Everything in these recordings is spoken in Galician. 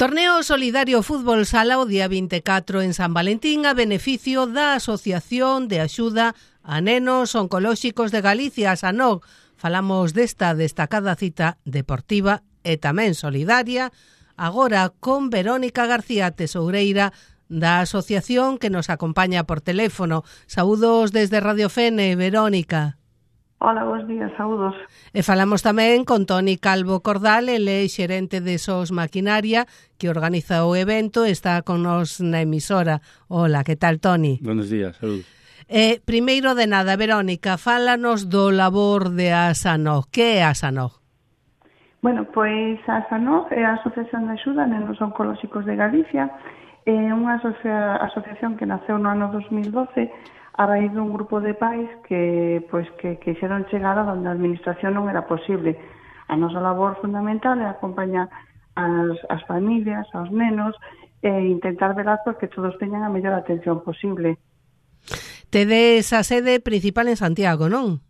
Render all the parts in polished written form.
Torneo solidario fútbol sala o día 24 en San Valentín a beneficio da Asociación de Axuda a Nenos Oncolóxicos de Galicia, ASANOG. Falamos desta destacada cita deportiva e tamén solidaria, agora con Verónica García Tesoureira, da asociación, que nos acompaña por teléfono. Saúdos desde Radio Fene, Verónica. Hola, bons días, saúdos. E falamos tamén con Toni Calvo Cordal, ele é xerente de SOS Maquinaria, que organiza o evento, está con nos na emisora. Hola, que tal, Toni? Buenos días, saúdos. Primeiro de nada, Verónica, fálanos do labor de ASANOG. Que é ASANOG? Bueno, pois a ASANOG é a Asociación de Axuda a Nenos Oncolóxicos de Galicia, é unha asociación que naceu no ano 2012 a raíz dun grupo de pais que quixeron chegar a onde a administración non era posible. A nosa labor fundamental é acompañar as familias, aos nenos, e intentar velar porque todos teñan a mellor atención posible. Tedes a sede principal en Santiago, non?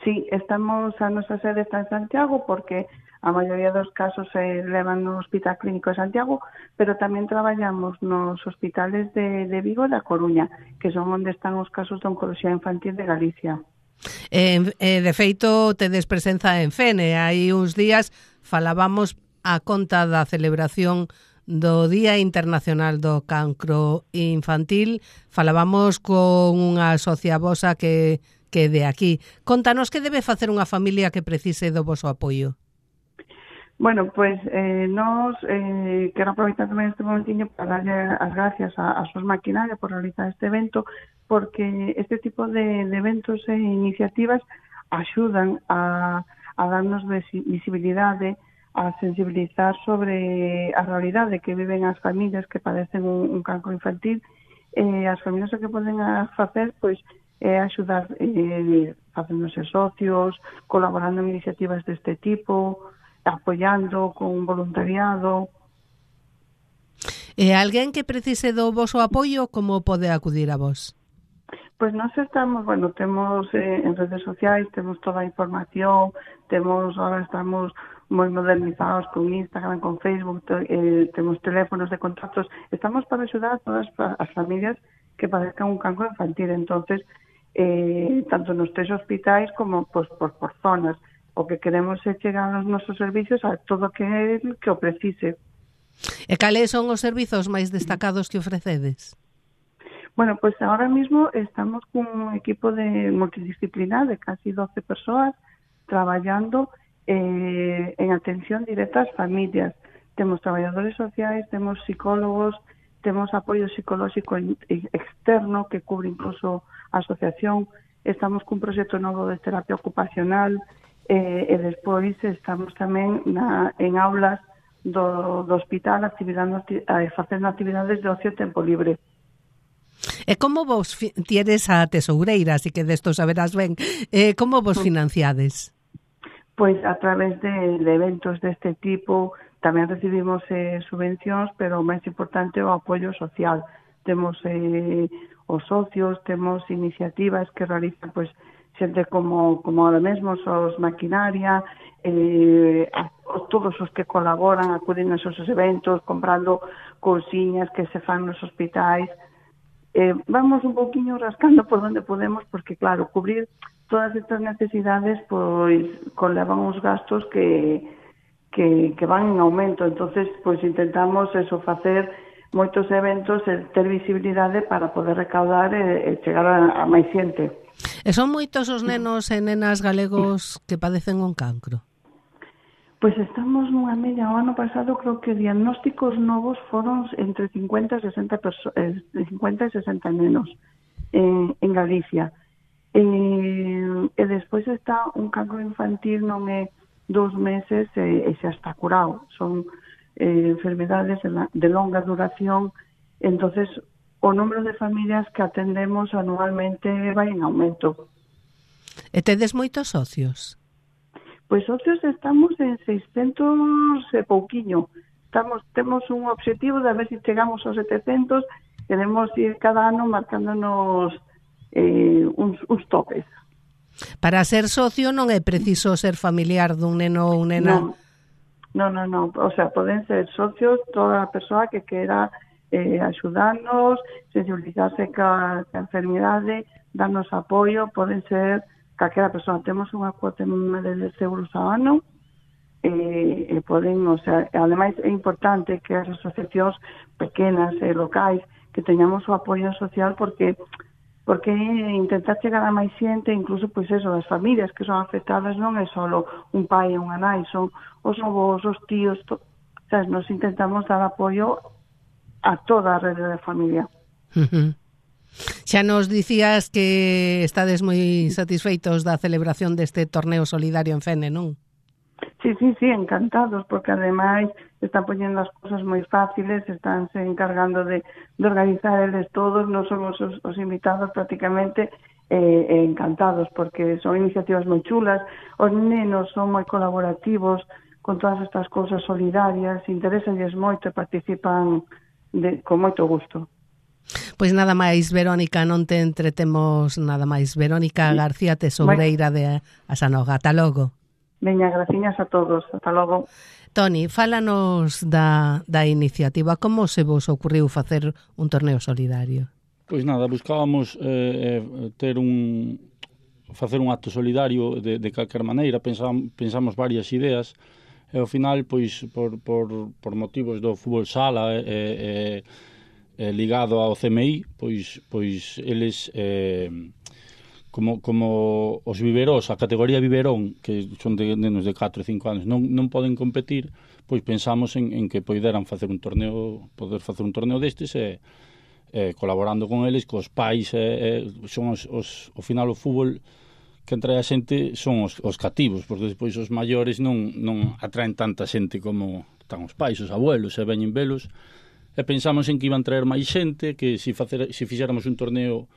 Sí, a nosa sede está en Santiago porque a maioría dos casos se levan no Hospital Clínico de Santiago, pero tamén traballamos nos hospitales de Vigo e da Coruña, que son onde están os casos de oncoloxía infantil de Galicia. De feito, tedes presenza en Fene. Hai uns días falábamos a conta da celebración do Día Internacional do Cancro Infantil. Falábamos con unha socia vosa que de aquí. Contanos que debe facer unha familia que precise do voso apoio. Bueno, pues nos quero aproveitar tamén este momentiño para darlle as gracias a SOS Maquinaria por realizar este evento, porque este tipo de eventos e iniciativas axudan a darnos visibilidade, a sensibilizar sobre a realidade que viven as familias que padecen un cancro infantil. As familias o que poden facer, pois, é axudar facéndose socios, colaborando en iniciativas deste tipo, apoiando con voluntariado. E alguén que precise do voso apoio, como pode acudir a vos? Pois nós estamos, temos en redes sociais, temos toda a información, ahora estamos moi modernizados con Instagram, con Facebook, temos teléfonos de contactos, estamos para axudar a todas as familias que padezcan un cancro infantil, entonces tanto nos 3 hospitais como por zonas. O que queremos é chegar aos nosos servicios a todo aquel que o precise. E cales son os servizos máis destacados que ofrecedes? Bueno, pues ahora mismo estamos con un equipo de multidisciplinar de casi 12 persoas traballando en atención directa ás familias. Temos traballadores sociais, temos psicólogos, temos apoio psicolóxico externo que cubre incluso a asociación, estamos cun proxecto novo de terapia ocupacional, e despois estamos tamén en aulas do hospital facendo actividades de ocio e tempo libre. E como vos tienes a tesoureira, así que desto saberás ben, como vos financiades? Pois a través de eventos deste tipo, tamén recibimos subvencións, pero o máis importante é o apoio social. Temos os socios, temos iniciativas que realizan xente como ahora mesmo, SOS Maquinaria, todos os que colaboran, acuden a esos eventos, comprando cousiñas que se fan nos hospitais. Vamos un pouquiño rascando por onde podemos, porque claro, cubrir todas estas necesidades pois conlevan uns gastos que van en aumento, entonces pois intentamos facer moitos eventos e ter visibilidade para poder recaudar e chegar a máis xente. E son moitos os nenos e nenas galegos que padecen un cancro? Pois estamos nunha media. O ano pasado creo que diagnósticos novos foron entre 50 e 60 nenos en Galicia. E despois está un cancro infantil, non é 2 meses e xa está curado. Son enfermedades de longa duración, entonces o número de familias que atendemos anualmente vai en aumento. E tedes moitos socios? Pois socios estamos en 600 e pouquiño. Temos un objetivo de ver se chegamos aos 700, queremos ir cada ano marcándonos uns topes. Para ser socio non é preciso ser familiar dun neno ou nena? No. O sea, poden ser socios toda a persoa que quera axudarnos, sensibilizarse ca enfermidade, darnos apoio, poden ser calquera persoa. Temos unha cuota mínima de 10 euros ao ano, e poden, o sea, ademais é importante que as asociacións pequenas e locais que teñamos o apoio social porque intentar chegar a máis xente, incluso pois eso, as familias que son afectadas non é só un pai e unha nai, son os avós, os tíos, sabes, nos intentamos dar apoio a toda a rede de familia. Xa nos dicías que estades moi satisfeitos da celebración deste torneo solidario en Fene, non? Sí, encantados, porque ademais están poñendo as cosas moi fáciles, están se encargando de organizar eles todos, non somos os invitados prácticamente, encantados, porque son iniciativas moi chulas, os nenos son moi colaborativos con todas estas cousas solidarias, interesalles moito e participan con moito gusto. Pois nada máis, Verónica, non te entretemos nada máis. Verónica García, tesoureira de Asanoga. Ata logo. Veña, graciñas a todos. Ata logo. Toni, fálanos da iniciativa. Como se vos ocurriu facer un torneo solidario? Pois nada, buscábamos facer un acto solidario de calquer maneira. Pensamos varias ideas e ao final, pois, por motivos do fútbol sala ligado ao CMI, pois eles... Como os viverós, a categoría biberón, que son de nenos de 4 e 5 anos, non poden competir, pois pensamos en que poderan facer un torneo destes e colaborando con eles, cos pais, son ao final o fútbol que entra a xente son os cativos, porque despois os maiores non atraen tanta xente como están os pais, os abuelos, e veñen velos, e pensamos en que iban traer máis xente, que se fixéramos un torneo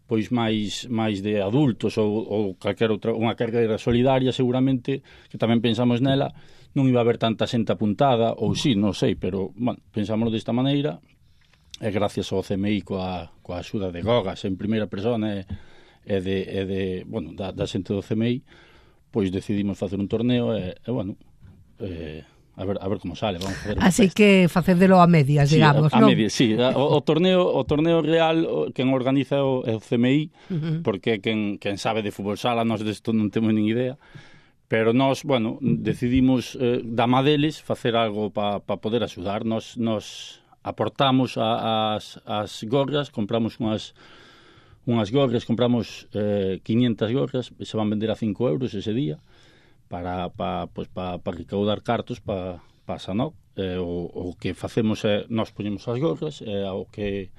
pois máis de adultos ou calquera outra, unha carreira solidaria, seguramente, que tamén pensamos nela, non iba a haber tanta xente apuntada, ou sí, non sei, pero, bueno, pensámoslo desta maneira, e gracias ao CMI coa axuda de Gogas en primeira persona bueno, da xente do CMI, pois decidimos facer un torneo e bueno, a ver como sale, vamos a facer. Así que facédelo a medias, digamos, a non? medias, sí. O torneo real, quen organiza o CMI, porque quen sabe de fútbol sala, nós desto non temos nin idea, pero nós, bueno, decidimos da má deles facer algo para poder axudar. Nos aportamos as gorras, compramos unhas gorras, compramos 500 gorras, se van vender a 5 euros ese día, para recaudar cartos para Sanok. O que facemos é, nós poñemos as gorras, o que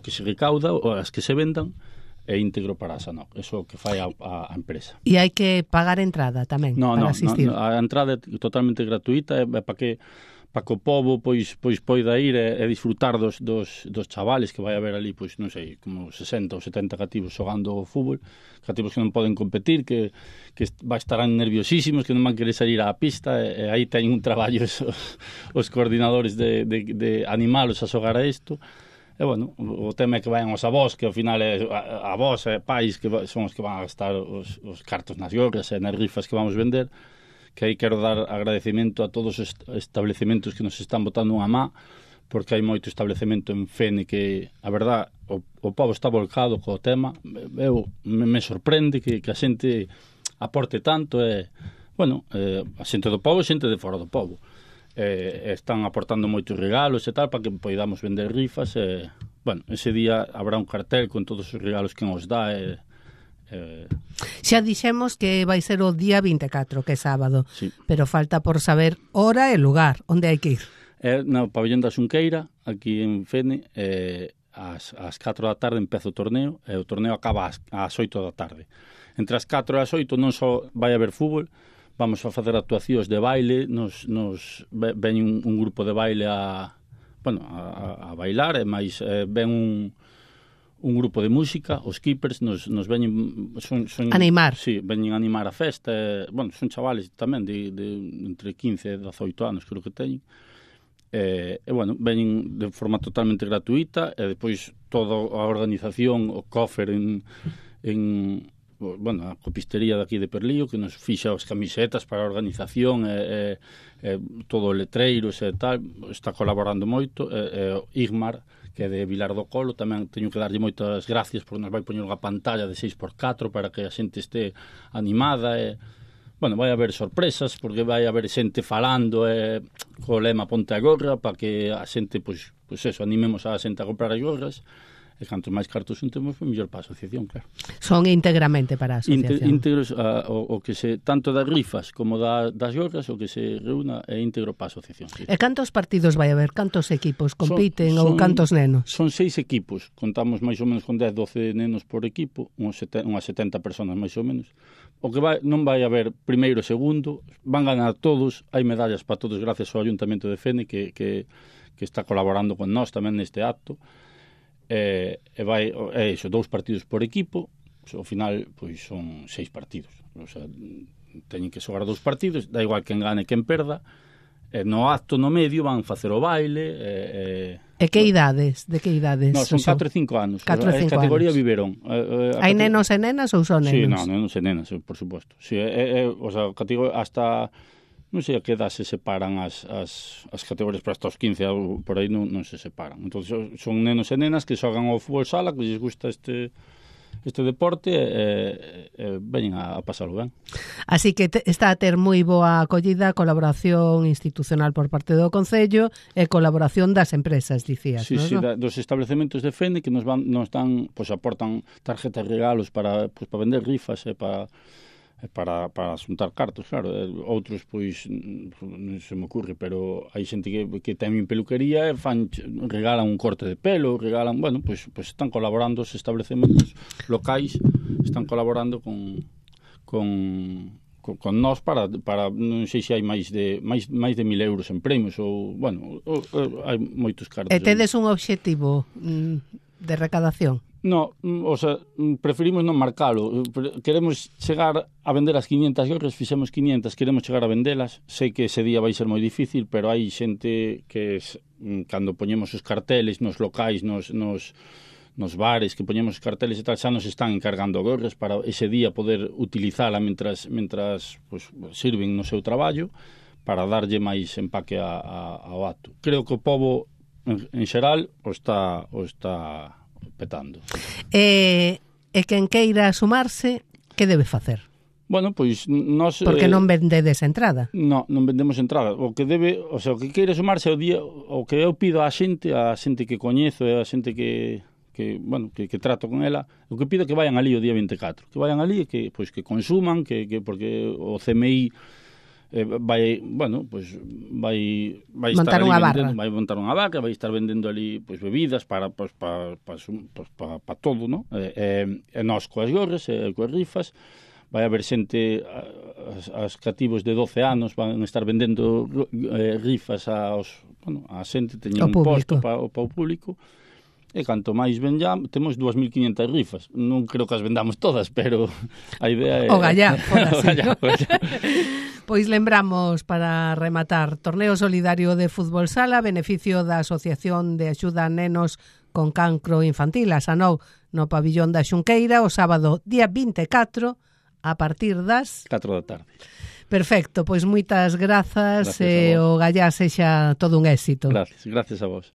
se recauda, as que se vendan, é íntegro para a Sanok. Eso é o que fai a empresa. E hai que pagar entrada tamén para asistir? No, a entrada é totalmente gratuita, é para que o pobo pois poida ir e disfrutar dos chavales que vai haber ali, pois non sei, como 60 ou 70 cativos xogando o fútbol, cativos que non poden competir, que estarán nerviosísimos, que non van querer salir á pista, e aí teñen un traballo os coordinadores de animalos a xogar a isto. E, bueno, o tema é que vayan os avós, que ao final é avós e pais que son os que van a gastar os cartos nas gorras e nas rifas que vamos vender, que aí quero dar agradecemento a todos os establecementos que nos están botando unha má, porque hai moito establecemento en Fene que, a verdad, o povo está volcado co tema. Me sorprende que a xente aporte tanto, bueno, a xente do povo e xente de fora do povo. Están aportando moitos regalos e tal, para que poidamos vender rifas, bueno, ese día habrá un cartel con todos os regalos que nos dá, Xa dixemos que vai ser o día 24, que é sábado, sí. Pero falta por saber hora e lugar, onde hai que ir. No pabellón da Xunqueira, aquí en Fene, ás 4 da tarde empeza o torneo, e o torneo acaba ás 8 da tarde. Entre as 4 e as 8 non só vai haber fútbol, vamos a facer actuacións de baile, ven un grupo de baile a bailar, e máis ven un grupo de música, os keepers nos veñen son animar. Sí, veñen animar a festa, bueno, son chavales tamén de entre 15 e 18 anos, creo que teñen. Bueno, veñen de forma totalmente gratuita, e depois toda a organización, o coffer bueno, a copistería daqui de Perlío, que nos fixa as camisetas para a organización, todo o letreiros e tal, está colaborando moito, Igmar, que é de Vilar do Colo, tamén teño que darlle moitas gracias porque nos vai poñer unha pantalla de 6x4 para que a xente este animada e bueno, vai haber sorpresas porque vai haber xente falando co lema Ponte a Gorra para que a xente, pois eso, animemos a xente a comprar as gorras e cantos máis cartos juntemos, mellor para a asociación, claro. Son íntegramente para a asociación. Íntegros, o que se, tanto das rifas como das gorras, o que se reúna é íntegro para a asociación. Sí. E cantos partidos vai haber? Cantos equipos compiten ou cantos nenos? Son 6 equipos, contamos máis ou menos con 10, 12 nenos por equipo, unhas 70 personas máis ou menos. O que non vai haber primeiro e segundo, van ganar todos, hai medallas para todos gracias ao Ayuntamento de Fene que está colaborando con nós tamén neste acto. Vai iso, 2 partidos por equipo, ao final pois son 6 partidos, o sea, teñen que xogar 2 partidos, da igual quen gane quen perda. No acto no medio van facer o baile. E que idades? De que idades? No, son 4 e 5 anos. 4 e 5 categoría anos. Biberón. Hai nenos e nenas ou son nenos? Sí, no, nenos e nenas, por suposto. Sí, o sea, categoría hasta non sei a que edad se separan as categorías, pero hasta os 15 por aí non se separan. Entón, son nenos e nenas que xogan ao fútbol sala, que lles gusta este deporte veñen a pasalo ben. Así que está a ter moi boa acollida, colaboración institucional por parte do Concello e colaboración das empresas, dicías, sí, non? Sí, dos establecementos de Fene que nos dan, pois aportan tarjetas regalos para vender rifas e para xuntar cartos, claro. Outros, pois, non se me ocurre, pero hai xente que ten peluquería e regalan un corte de pelo, regalan, bueno, pois están colaborando os establecementos locais, están colaborando con nós para non sei se hai máis de 1.000 euros en premios ou, bueno, hai moitos cartos. E tedes un obxectivo de recadación? No, o sea, preferimos non marcalo. Queremos chegar a vender as 500 gorras, fixemos 500, queremos chegar a vendelas. Sei que ese día vai ser moi difícil, pero hai xente que cando poñemos os carteles nos locais, nos bares, que poñemos os carteles e tal, xa nos están encargando gorras para ese día poder utilizala mentras pues, sirven no seu traballo para darlle máis empaque ao acto. Creo que o pobo en xeral o está petando. E quen queira sumarse, que debe facer? Bueno, pois nós... Porque non vendedes entrada. Non vendemos entrada. O que queira sumarse ao día, o que eu pido á xente que coñezo e a xente que trato con ela, o que pido que vayan ali o día 24. Que vayan ali e que consuman, porque o CMI vai montar unha barra, vai montar unha vaca, vai estar vendendo ali bebidas para todo, ¿no? E nós coas gorras e coas rifas, vai haber xente, as cativos de 12 anos van estar vendendo rifas a xente, teñen un posto para o público. E canto máis venllamos, temos 2.500 rifas. Non creo que as vendamos todas, pero a idea é... O gallá, Pois lembramos, para rematar, Torneo Solidario de Fútbol Sala, beneficio da Asociación de Axuda a Nenos con Cancro Infantil, a SANOG, no pabillón da Xunqueira, o sábado día 24, a partir das... 4 da tarde. Perfecto, pois moitas grazas e o gallá sexa todo un éxito. Gracias a vos.